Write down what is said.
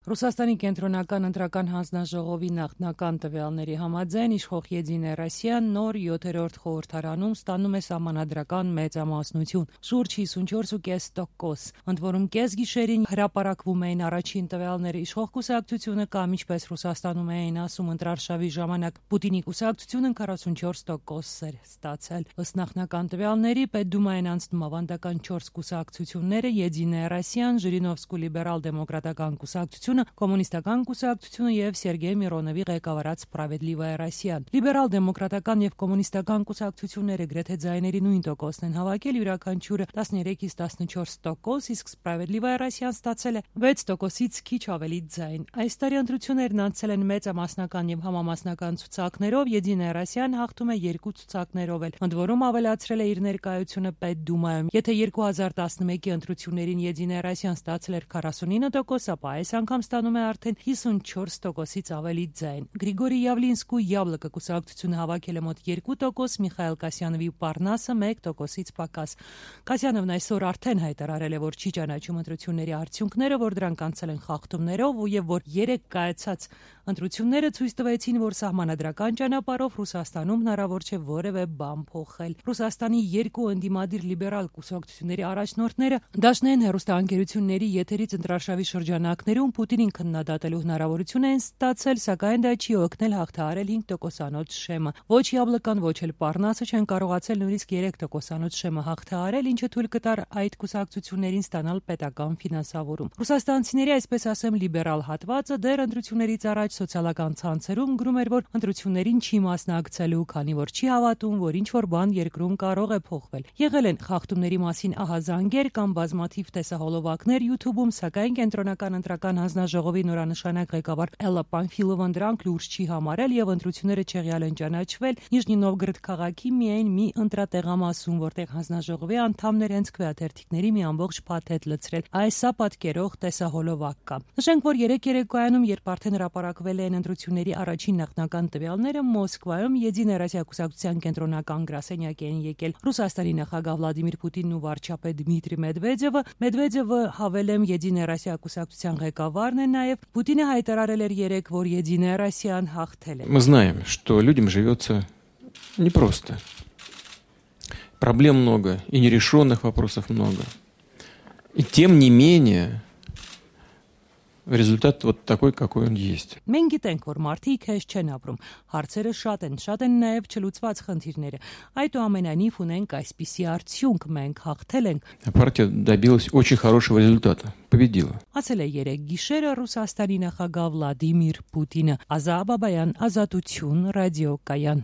Ռուսաստանի կենտրոնական ընտրական հանձնաժողովի նախնական տվյալների համաձայն իշխող Եդինե Ռոսիան նոր 7-րդ խորհրդարանում ստանում է սահմանադրական մեծամասնություն՝ շուրջ 54,5%, ընդ որում կեսգիշերին հրապարակվում էին առաջին տվյալները, իշխող կուսակցությունը կամ ինչպես Ռուսաստանում էին ասում ընտրարշավի ժամանակ Պուտինի կուսակցությունը 44% էր ստացել։ Ըստ նախնական տվյալների Պետդումային անցնում ավանդական 4 կուսակցությունները՝ Եդինե Ռոսիան, Ժիրինովսկու լիբերալ-դեմոկրատական կուսակցությունը, Կոմունիստական կուսակցությունը եւ Սերգեյ Միրոնովի ղեկավարած Սպրավեդլիվայա Ռոսիան։ Լիբերալ-դեմոկրատական եւ կոմունիստական կուսակցությունները գրեթե ձայների նույն տոկոսն են հավաքել, յուրաքանչյուրը 13-ից 14%, իսկ Սպրավեդլիվայա Ռոսիան ստացել է 6%-ից քիչ ավելի ձայն։ Այս տարի ընտրություններն անցել են մեծամասնական եւ համամասնական ցուցակներով, Եդինե Ռոսիան հաղթում է 2 ցուցակներով էլ, ընդ որում ավելացրել է իր ներկայությունը Պետդումայում։ Եթե 2011-ի ընտրություններին Եդինե Ռոսիան ստացել էր 49%, ապա այս անգամ ստանում է արդեն 54%-ից ավելի ձայն։ Գրիգորի Յավլինսկու Յաբլոկը կուսակցությունը հավաքել է մոտ 2%, Միխայել Կասյանովի Պարնասը 1%-ից պակաս։ Կասյանովն այսօր արդեն հայտարարել է, որ չի ճանաչում ընտրությունների արդյունքները, որ դրանք անցել են խախտումներով եւ որ 3 կայացած ընտրությունները ցույց տվեցին, որ սահմանադրական ճանապարհով Ռուսաստանում հնարավոր չէ որևէ բան փոխել։ Ռուսաստանի 2 ընդդիմադիր լիբերալ կուսակցությունների առաջնորդները դաշնային հեռուստաընկերությունների եթերից ընտրարշավի շրջանակներում Պուտինին քննադատելու հնարավորություն են ստացել, սակայն դա չի օգնել հաղթահարել 5%-անոց շեմը։ Ոչ Յաբլոկան, ոչ էլ Պարնասը չեն կարողացել նույնիսկ 3%-անոց շեմը հաղթահարել, ինչը թույլ կտար այդ կուսակցություններին ստանալ պետական ֆինանսավորում։ Ռուսաստանցիների, այսպես ասեմ, լիբերալ հատվածը դեռ ընտրություններից առաջ սոցիալական ցանցերում գրում էր, որ ընտրություններին չի մասնակցելու, քանի որ չի հավատում, որ ինչ-որ բան երկրում կարող է փոխվել։ Եղել են խախտումների մասին ահազանգեր կամ բազմաթիվ տեսահոլովակներ YouTube-ում, սակայն կենտրոնական ընտրական հանձնաժողովի նորանշանակ ղեկավար Էլլա Պանֆիլովան դրանք լուրջ չի համարել եւ ընտրությունները չեղյալ են ճանաչվել Նիժնի Նովգորոդ քաղաքի միայն մի ընտրատեղամասում, որտեղ հանձնաժողովի անդամներ հենց քվեաթերթիկների մի ամբողջ փաթեթ լցրել։ Այսա պատկերող տեսահոլովակ կա։ Նշենք, որ 3 երեկոյանում, երբ արդեն հրապարակվել են ընտրությունների առաջին նախնական տվյալները, Մոսկվայում Եդինե Ռոսիա կուսակցության կենտրոնական գրասենյակ էին եկել Ռուսաստանի նախագահ Վլադիմիր Պուտինն ու վարչապետ Դմիտրի Մեդվեդևը։ Մեդվեդևը հավելեմ Եդինե Ռոսիա կուսակցության ղեկավարն է նաև։ Պուտինը հայտարարել էր երեկ, որ Եդինե Ռոսիան հաղթել է։ Мы знаем, что людям живется непросто. Проблем много, и нерешенных вопросов много. И тем не менее результат вот такой, какой он есть. Մենք գիտենք, որ մարդիկ հեշտ չեն ապրում, հարցերը շատ են նաև չլուծված խնդիրները։ Այդուամենայնիվ ունենք այսպիսի արդյունք, մենք հաղթել ենք։ Партия добилась очень хорошего результата, победила. Ասել է երեկ գիշերը Ռուսաստանի նախագահ Վլադիմիր Պուտինը։ Ազա Բաբայան, Ազատություն, ռադիոկայան։